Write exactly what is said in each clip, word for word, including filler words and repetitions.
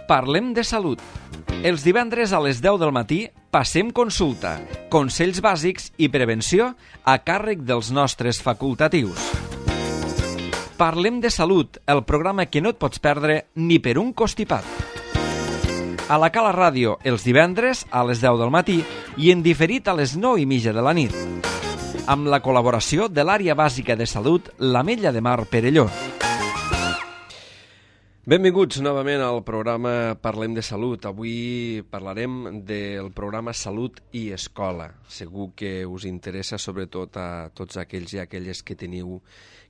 Parlem de salut. Els divendres a les deu del matí passem consulta, consells bàsics i prevenció a càrrec dels nostres facultatius. Parlem de salut, el programa que no et pots perdre ni per un costipat. A la Cala Ràdio, els divendres a les deu del matí i en diferit a les nou i mitja de la nit. Amb la col·laboració de l'Àrea Bàsica de Salut, l'Ametlla de Mar Perelló. Benvinguts novament al programa Parlem de Salut. Avui parlarem del programa Salut i Escola. Segur que us interessa sobretot a tots aquells i aquelles que teniu,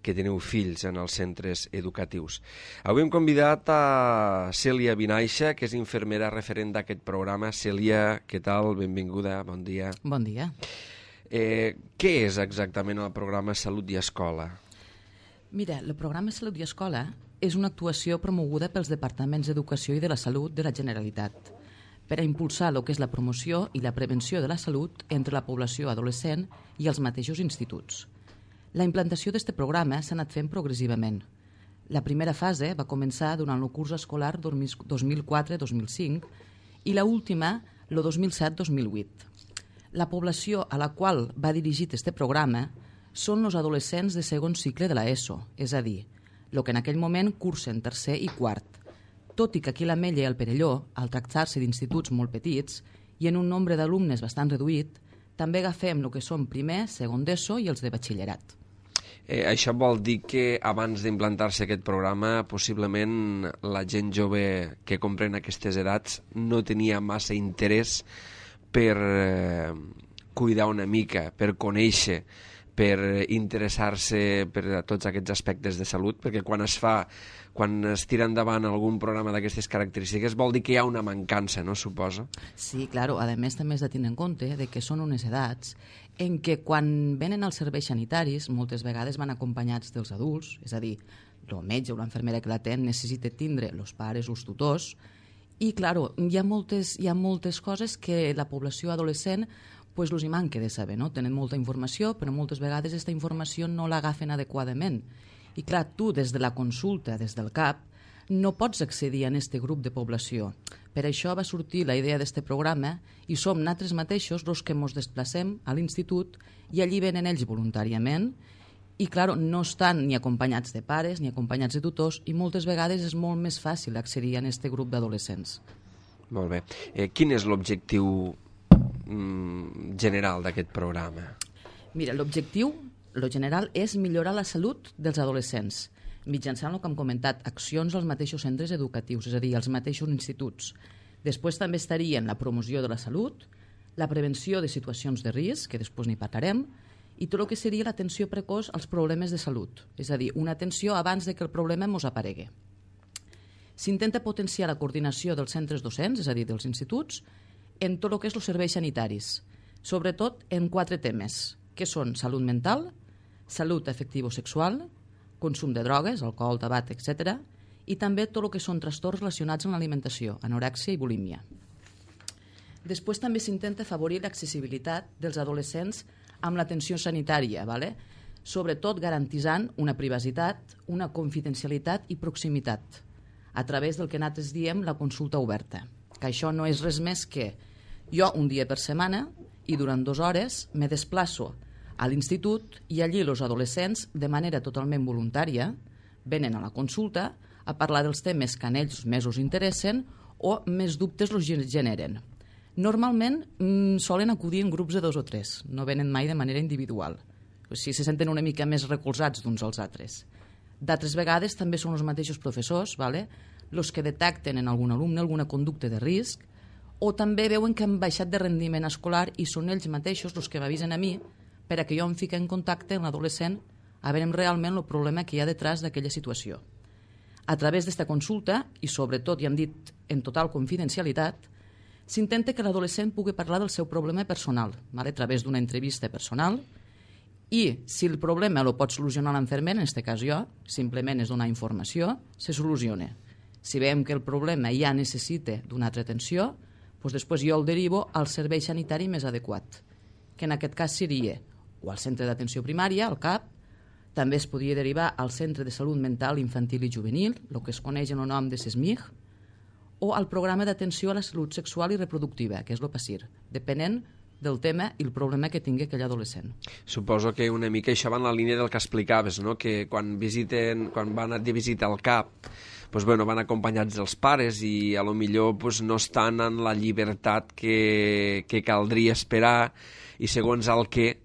que teniu fills en els centres educatius. Avui hem convidat a Cèlia Vinaixa, que és infermera referent d'aquest programa. Cèlia, què tal? Benvinguda, bon dia. Bon dia. Eh, què és exactament el programa Salut i Escola? Mira, el programa Salut i Escola és una actuació promoguda pels Departaments d'Educació i de la Salut de la Generalitat per a impulsar el que és la promoció i la prevenció de la salut entre la població adolescent i els mateixos instituts. La implantació d'aquest programa s'ha anat fent progressivament. La primera fase va començar durant el curs escolar dos mil quatre dos mil cinc i l'última el dos mil set dos mil vuit. La població a la qual va dirigit aquest programa són els adolescents de segon cicle de l'ESO, és a dir, el que en aquell moment cursen tercer i quart, tot i que aquí a l'Ametlla i al Perelló, al tractar-se d'instituts molt petits i en un nombre d'alumnes bastant reduït, també agafem el que són primer, segon d'ESO i els de batxillerat. Eh, això vol dir que abans d'implantar-se aquest programa, possiblement la gent jove que comprèn aquestes edats no tenia massa interès per eh, cuidar una mica, per conèixer, per interessar-se per a tots aquests aspectes de salut, perquè quan es fa, quan es tira endavant algun programa d'aquestes característiques, vol dir que hi ha una mancança, no, suposo? Sí, clar, a més també has de tenir en compte de que són unes edats en què quan venen als serveis sanitaris moltes vegades van acompanyats dels adults, és a dir, el metge o l'enfermera que l'atén necessita tindre els pares o els tutors, i clar, hi ha moltes, hi ha moltes coses que la població adolescent pues els hi manca de saber, no? Tenen molta informació, però moltes vegades aquesta informació no l'agafen adequadament. I clar, tu des de la consulta, des del C A P, no pots accedir a aquest grup de població. Per això va sortir la idea d'aquest programa i som nosaltres mateixos els que ens desplacem a l'institut i allí venen ells voluntàriament i clar, no estan ni acompanyats de pares ni acompanyats de tutors i moltes vegades és molt més fàcil accedir a aquest grup d'adolescents. Molt bé. Eh, quin és l'objectiu general d'aquest programa? Mira, l'objectiu, lo general, és millorar la salut dels adolescents, mitjançant el que hem comentat, accions als mateixos centres educatius, és a dir, als mateixos instituts. Després també estarien la promoció de la salut, la prevenció de situacions de risc, que després n'hi parlarem, i tot el que seria l'atenció precoç als problemes de salut, és a dir, una atenció abans de que el problema ens aparegui. S'intenta potenciar la coordinació dels centres docents, és a dir, dels instituts, en tot el que és els serveis sanitaris, sobretot en quatre temes, que són salut mental, salut afectivo-sexual, consum de drogues, alcohol, tabac, etcètera, i també tot el que són trastorns relacionats amb l'alimentació, anorèxia i bulímia. Després també s'intenta afavorir l'accessibilitat dels adolescents amb l'atenció sanitària, ¿vale? Sobretot garantitzant una privacitat, una confidencialitat i proximitat, a través del que nosaltres diem la consulta oberta, que això no és res més que jo un dia per setmana i durant dues hores me desplaço a l'institut i allí els adolescents, de manera totalment voluntària, venen a la consulta a parlar dels temes que a ells més us interessen o més dubtes els generen. Normalment mmm, solen acudir en grups de dos o tres, no venen mai de manera individual. O sigui, se senten una mica més recolzats d'uns als altres. D'altres vegades també són els mateixos professors, ¿vale? Els que detecten en algun alumne alguna conducta de risc o també veuen que han baixat de rendiment escolar i són ells mateixos els que m'avisen a mi per a que jo em fiqui en contacte amb l'adolescent a veure realment el problema que hi ha detrás d'aquella situació. A través d'esta consulta, i sobretot, ja hem dit, en total confidencialitat, s'intenta que l'adolescent pugui parlar del seu problema personal, a través d'una entrevista personal, i si el problema el pot solucionar l'enfermer, en aquest cas jo, simplement és donar informació, se soluciona. Si veiem que el problema ja necessita d'una altra atenció, doncs després jo el derivo al servei sanitari més adequat, que en aquest cas seria o al centre d'atenció primària, al C A P, també es podria derivar al Centre de Salut Mental Infantil i Juvenil, el que es coneix en el nom de S E S M I G, o al programa d'atenció a la salut sexual i reproductiva, que és el PASIR, depenent del tema i el problema que tingui aquell adolescent. Suposo que una mica això va en la línia del que explicaves, no? Que quan visiten, quan van de visita al CAP, pues, bueno, van acompanyats dels pares i a lo millor pues, no estan en la llibertat que, que caldria esperar i segons el que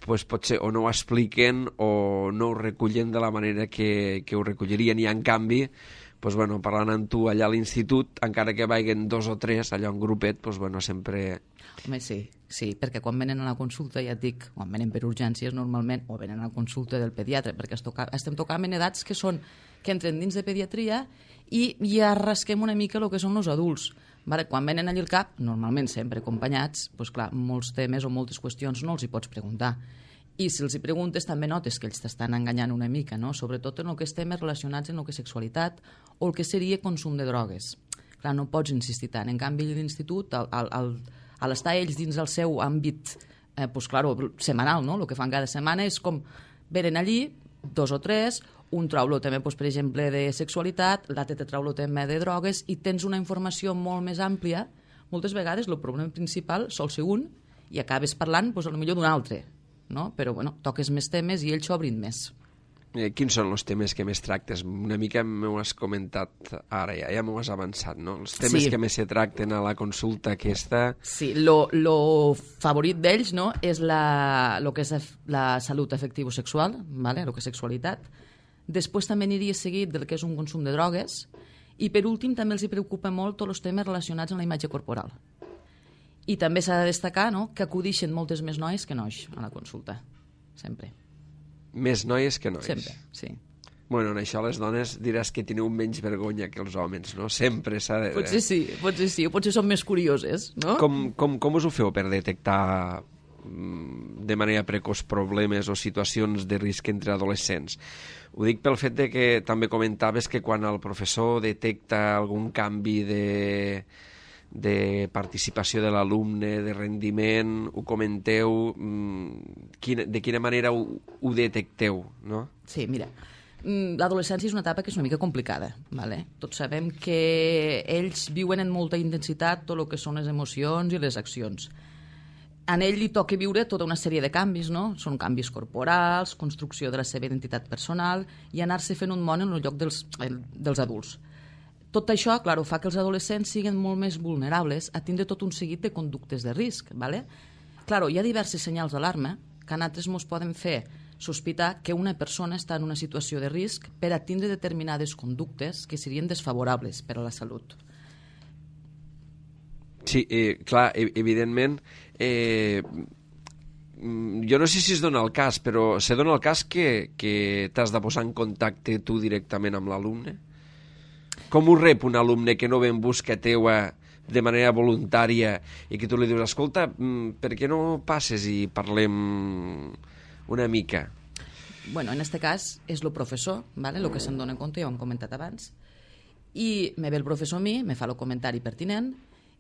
pues, potser o no ho expliquen o no ho recullen de la manera que, que ho recollirien i en canvi pues, bueno, parlant amb tu allà a l'institut, encara que vagin dos o tres allà en grupet, pues, bueno, sempre... Home, sí, sí, perquè quan venen a la consulta, ja et dic, quan venen per urgències normalment, o venen a la consulta del pediatre, perquè es toca, estem tocant en edats que són que entren dins de pediatria i ja rasquem una mica el que són els adults. Vale? Quan venen allà al CAP, normalment sempre acompanyats, doncs clar, molts temes o moltes qüestions no els hi pots preguntar. I si els hi preguntes també notes que ells t'estan enganyant una mica, no? Sobretot en el que és temes relacionats amb el que és sexualitat o el que seria consum de drogues. Clar, no pots insistir tant. En canvi, l'institut, al, al, al, a l'estar ells dins el seu àmbit eh, pues, claro, setmanal, no? El que fan cada setmana és com venen allí, dos o tres, un trau el tema, pues, per exemple, de sexualitat, l'altre te trau el tema de drogues i tens una informació molt més àmplia. Moltes vegades el problema principal sol ser un i acabes parlant pues, potser d'un altre. No? Però bueno, toques més temes i ells s'obrin més. Eh, quins són els temes que més tractes? Una mica m'ho has comentat ara, ja, ja m'ho has avançat, no? Els temes sí. que més se tracten a la consulta aquesta... Sí, lo, lo favorit d'ells, no?, és la, lo que és la salut afectivo-sexual, vale? Lo que és sexualitat. Després també aniria seguit del que és un consum de drogues i per últim també els hi preocupa molt tots els temes relacionats amb la imatge corporal. I també s'ha de destacar, no?, que acudixen moltes més noies que nois a la consulta, sempre. Més noies que nois? Sempre, sí. Bueno, en això les dones diràs que teniu menys vergonya que els homes, no? Sempre s'ha de... Potser sí, potser sí, o potser són més curioses, no? Com, com, com us ho feu per detectar de manera precoç problemes o situacions de risc entre adolescents? Ho dic pel fet de que també comentaves que quan el professor detecta algun canvi de... de participació de l'alumne, de rendiment, ho comenteu, quina, de quina manera ho, ho detecteu, no? Sí, mira, l'adolescència és una etapa que és una mica complicada, ¿vale? Tots sabem que ells viuen en molta intensitat tot el que són les emocions i les accions. A ell li toca viure tota una sèrie de canvis, no? Són canvis corporals, construcció de la seva identitat personal i anar-se fent un món en el lloc dels, dels adults. Tot això, clar, fa que els adolescents siguin molt més vulnerables a tindre tot un seguit de conductes de risc. ¿Vale? Clar, hi ha diversos senyals d'alarma que a nosaltres ens poden fer sospitar que una persona està en una situació de risc per a tindre determinades conductes que serien desfavorables per a la salut. Sí, eh, clar, evidentment, eh, jo no sé si es dona el cas, però se dona el cas que, que t'has de posar en contacte tu directament amb l'alumne? Com ho rep un alumne que no ve en busca teua de manera voluntària i que tu li dius, escolta, per què no passes i parlem una mica? Bueno, en aquest cas és el professor, ¿vale? El que se'n dona compte, ja ho hem comentat abans, i me ve el professor a mi, me fa el comentari pertinent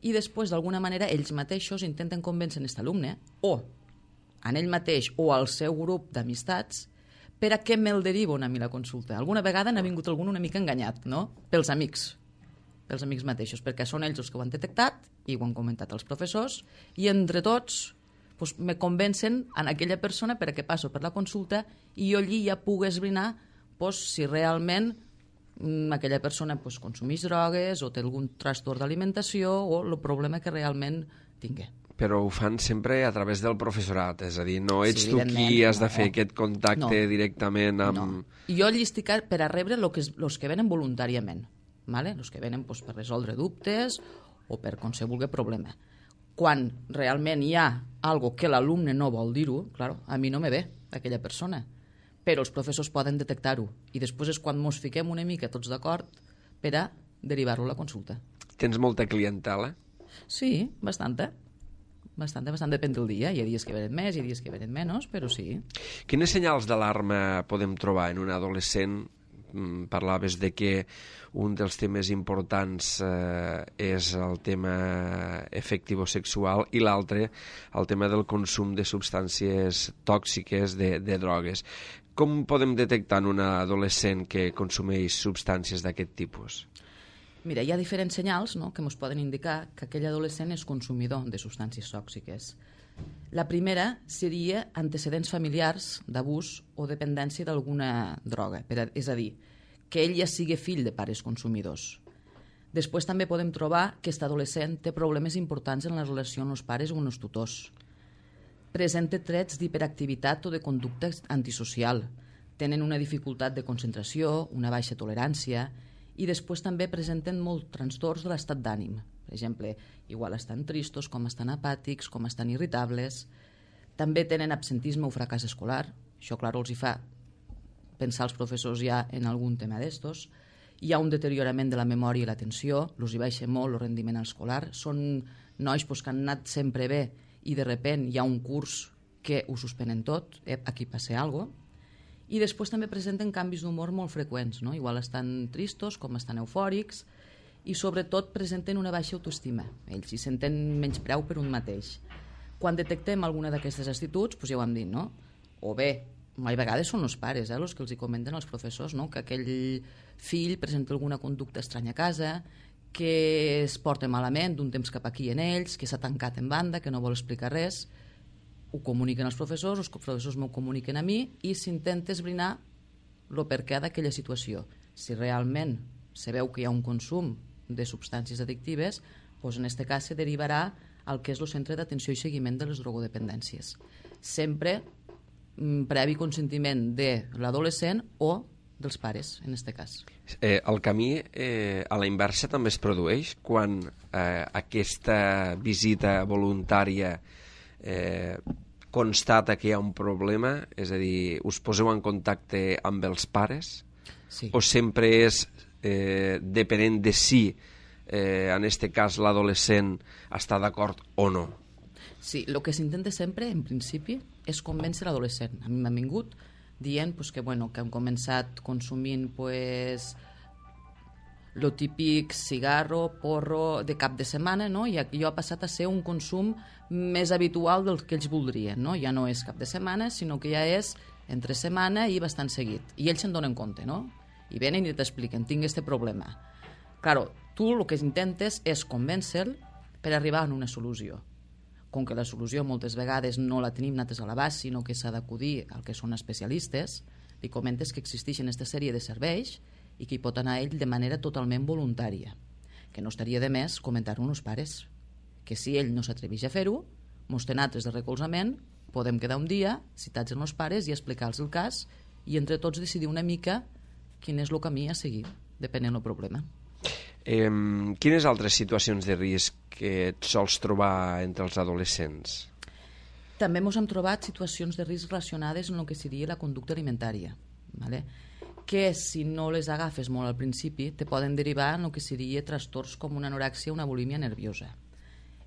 i després, d'alguna manera, ells mateixos intenten convèncer aquest alumne o en ell mateix o al seu grup d'amistats per a què me'l deriven a mi la consulta. Alguna vegada n'ha vingut algun una mica enganyat, no? Pels amics, pels amics mateixos, perquè són ells els que ho han detectat i ho han comentat als professors i entre tots pues, me convencen en aquella persona per a què passo per la consulta i jo allí ja puc esbrinar pues, si realment mm, aquella persona pues, consumeix drogues o té algun trastorn d'alimentació o el problema que realment tingui. Però ho fan sempre a través del professorat, és a dir, no ets sí, tu qui has de no. fer aquest contacte no. directament amb... No. Jo llistic per a rebre els que venen voluntàriament, ¿vale? Els que venen pues, per resoldre dubtes o per qualsevol problema. Quan realment hi ha algo que l'alumne no vol dir-ho, claro, a mi no me ve aquella persona, però els professors poden detectar-ho i després és quan ens fiquem una mica tots d'acord per a derivar-lo a la consulta. Tens molta clientela? Sí, bastanta. Bastant, bastant depèn del dia. Hi ha dies que venen més, hi ha dies que venen menys, però sí. Quines senyals d'alarma podem trobar en un adolescent? Parlaves de que un dels temes importants eh, és el tema afectivo-sexual i l'altre el tema del consum de substàncies tòxiques, de, de drogues. Com podem detectar en un adolescent que consumeix substàncies d'aquest tipus? Mira, hi ha diferents senyals, no?, que ens poden indicar que aquell adolescent és consumidor de substàncies tòxiques. La primera seria antecedents familiars d'abús o dependència d'alguna droga, per a, és a dir, que ell ja sigui fill de pares consumidors. Després també podem trobar que aquest adolescent té problemes importants en la relació amb els pares o amb els tutors. Presenta trets d'hiperactivitat o de conducta antisocial. Tenen una dificultat de concentració, una baixa tolerància, i després també presenten molts trastorns de l'estat d'ànim. Per exemple, igual estan tristos, com estan apàtics, com estan irritables. També tenen absentisme o fracàs escolar. Això, clar, els hi fa pensar els professors ja en algun tema d'estos. Hi ha un deteriorament de la memòria i l'atenció, els hi baixa molt el rendiment escolar. Són nois pues, que han anat sempre bé i de repent hi ha un curs que ho suspenen tot, eh, aquí passa alguna cosa. I després també presenten canvis d'humor molt freqüents, no? Igual estan tristos, com estan eufòrics, i sobretot presenten una baixa autoestima. Ells s'hi senten menyspreu per un mateix. Quan detectem alguna d'aquestes actituds, doncs ja ho hem dit, no? O bé, a vegades són els pares, eh, els que els hi comenten als professors, no? Que aquell fill presenta alguna conducta estranya a casa, que es porta malament d'un temps cap aquí en ells, que s'ha tancat en banda, que no vol explicar res. Ho comuniquen als professors, els professors m'ho comuniquen a mi i s'intenta esbrinar el perquè d'aquella situació. Si realment se veu que hi ha un consum de substàncies addictives, doncs en aquest cas se derivarà al que és el centre d'atenció i seguiment de les drogodependències. Sempre previ consentiment de l'adolescent o dels pares, en aquest cas. Eh, el camí eh, a la inversa també es produeix quan eh, aquesta visita voluntària eh, constata que hi ha un problema, és a dir, us poseu en contacte amb els pares? Sí. O sempre és eh, depenent de si eh, en aquest cas l'adolescent està d'acord o no? Sí, el que s'intenta sempre, en principi, és convèncer l'adolescent. A mi m'han vingut dient pues, que, bueno, que han començat consumint pues, lo típic cigarro, porro de cap de setmana, no? I allò ha passat a ser un consum més habitual del que ells voldrien, no? Ja no és cap de setmana, sinó que ja és entre setmana i bastant seguit. I ells se'n donen compte, no? I venen i t'expliquen, tinc este problema. Claro, tu el que intentes és convèncer-lo per arribar a una solució. Com que la solució moltes vegades no la tenim nosaltres a l'abast, sinó que s'ha d'acudir al que són especialistes, li comentes que existeixen aquesta sèrie de serveis i que hi pot anar ell de manera totalment voluntària. Que no estaria de més comentar-ho als pares. Que si ell no s'atreveix a fer-ho, mos té nosaltres de recolzament, podem quedar un dia, citats amb els pares i explicar-los el cas i entre tots decidir una mica quin és el camí a seguir, depenent del problema. Eh, quines altres situacions de risc que et sols trobar entre els adolescents? També ens hem trobat situacions de risc relacionades amb el que seria la conducta alimentària, ¿vale? Que si no les agafes molt al principi te poden derivar en el que seria trastorns com una anorèxia o una bulímia nerviosa.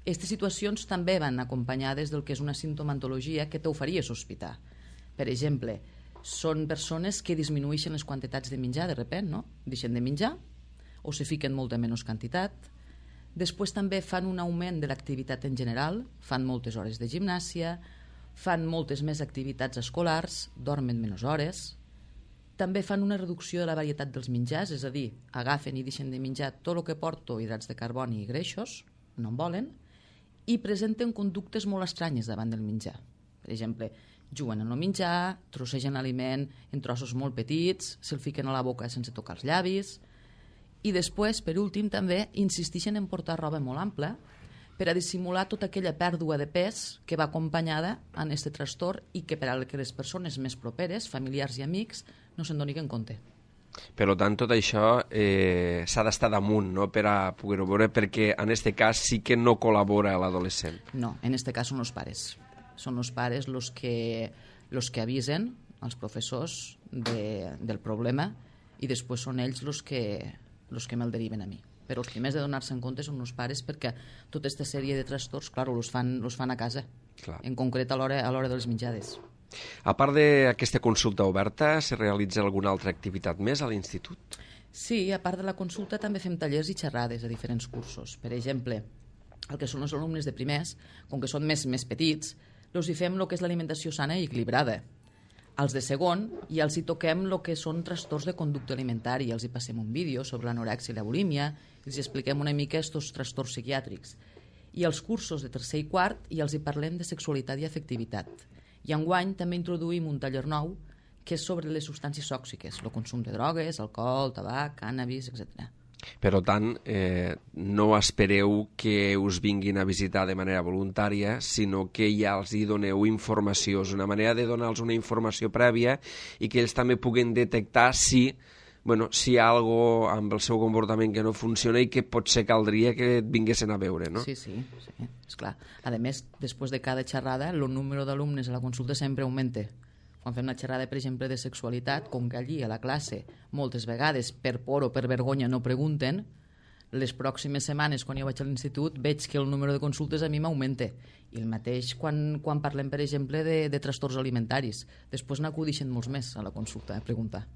Aquestes situacions també van acompanyades del que és una simptomatologia que t'ho faria sospitar. Per exemple, són persones que disminueixen les quantitats de menjar de repent, no? Deixen de menjar o se fiquen molta menys quantitat. Després també fan un augment de l'activitat en general, fan moltes hores de gimnàsia, fan moltes més activitats escolars, dormen menys hores. També fan una reducció de la varietat dels menjars, és a dir, agafen i deixen de menjar tot el que porto hidrats de carboni i greixos, no en volen, i presenten conductes molt estranyes davant del menjar. Per exemple, juguen en el menjar, trossegen l'aliment en trossos molt petits, se'l fiquen a la boca sense tocar els llavis. I després, per últim, també insisteixen en portar roba molt ampla per a dissimular tota aquella pèrdua de pes que va acompanyada en aquest trastorn i que per a que les persones més properes, familiars i amics, no se'n donin compte. Per tant, tot això eh, s'ha d'estar damunt, no?, per a poder-ho veure, perquè en aquest cas sí que no col·labora l'adolescent. No, en aquest cas són els pares. Són els pares els que, los que avisen als professors de, del problema i després són ells els que els que me'l deriven a mi. Però els primers de donar-se en compte són els pares perquè tota aquesta sèrie de trastorns, clar, els fan, els fan a casa, clar. En concret a l'hora a l'hora de les menjades. A part d'aquesta consulta oberta, se realitza alguna altra activitat més a l'institut? Sí, a part de la consulta també fem tallers i xerrades a diferents cursos. Per exemple, el que són els alumnes de primers, com que són més, més petits, els hi fem el que és l'alimentació sana i equilibrada. als de segon, i els hi toquem el que són trastorns de conducta alimentària. Els hi passem un vídeo sobre l'anorèxia i la bulímia, els hi expliquem una mica aquests trastorns psiquiàtrics. I els cursos de tercer i quart i els hi parlem de sexualitat i afectivitat. I enguany també introduïm un taller nou que és sobre les substàncies tòxiques, el consum de drogues, alcohol, tabac, cànnabis, etcètera. Per tant, eh, no espereu que us vinguin a visitar de manera voluntària, sinó que ja els hi doneu informació. És una manera de donar-los una informació prèvia i que ells també puguen detectar si, bueno, si hi ha alguna cosa amb el seu comportament que no funciona i que potser caldria que et vinguessin a veure, no? Sí, sí, sí, esclar. A més, després de cada xerrada, el número d'alumnes a la consulta sempre augmenta. Quan fem una xerrada, per exemple, de sexualitat, com que allí a la classe moltes vegades per por o per vergonya no pregunten, les pròximes setmanes, quan jo vaig a l'institut, veig que el número de consultes a mi m'augmenta. I el mateix quan, quan parlem, per exemple, de, de trastorns alimentaris. Després n'acudixen molts més a la consulta a preguntar.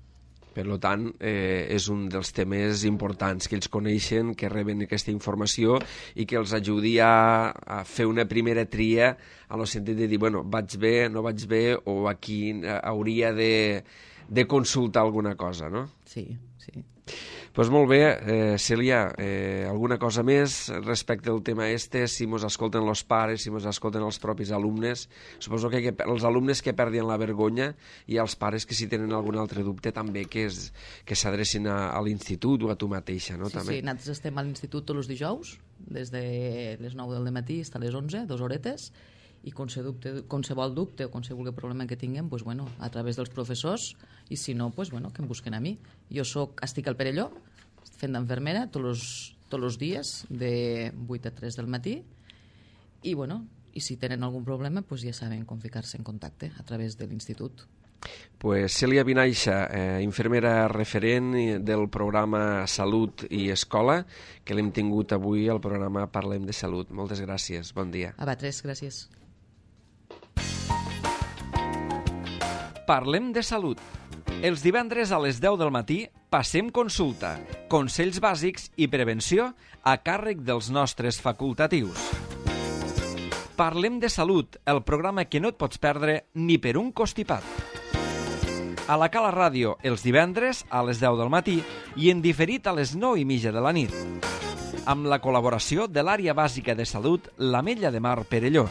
Per tant, eh, és un dels temes importants, que ells coneixen, que reben aquesta informació i que els ajudi a, a fer una primera tria en el sentit de dir, bueno, vaig bé, no vaig bé, o aquí hauria de, de consultar alguna cosa, no? Sí, sí. Doncs pues molt bé, eh, Cèlia, eh, alguna cosa més respecte al tema este, si mos escolten els pares, si mos escolten els propis alumnes, suposo que, que els alumnes que perdien la vergonya i els pares que si tenen algun altre dubte també que es, que s'adrecin a, a l'institut o a tu mateixa, no? Sí, també. sí, nosaltres estem a l'institut tots els dijous, des de les nou del matí fins a les onze, dues horetes, i qualsevol dubte o qualsevol problema que tinguem, pues, bueno, a través dels professors, i si no, pues, bueno, que em busquen a mi. Jo soc, estic al Perelló, fent d'enfermera tots els dies, de vuit a tres del matí, i, bueno, i si tenen algun problema, pues, ja saben com ficar-se en contacte a través de l'institut. Pues Cèlia Vinaixa, eh, infermera referent del programa Salut i Escola, que l'hem tingut avui al programa Parlem de Salut. Moltes gràcies, bon dia. A vosaltres, gràcies. Parlem de salut. Els divendres a les deu del matí passem consulta, consells bàsics i prevenció a càrrec dels nostres facultatius. Parlem de salut, el programa que no et pots perdre ni per un costipat. A la Cala Ràdio, els divendres a les deu del matí i en diferit a les nou i mitja de la nit. Amb la col·laboració de l'Àrea Bàsica de Salut, l'Ametlla de Mar Perelló.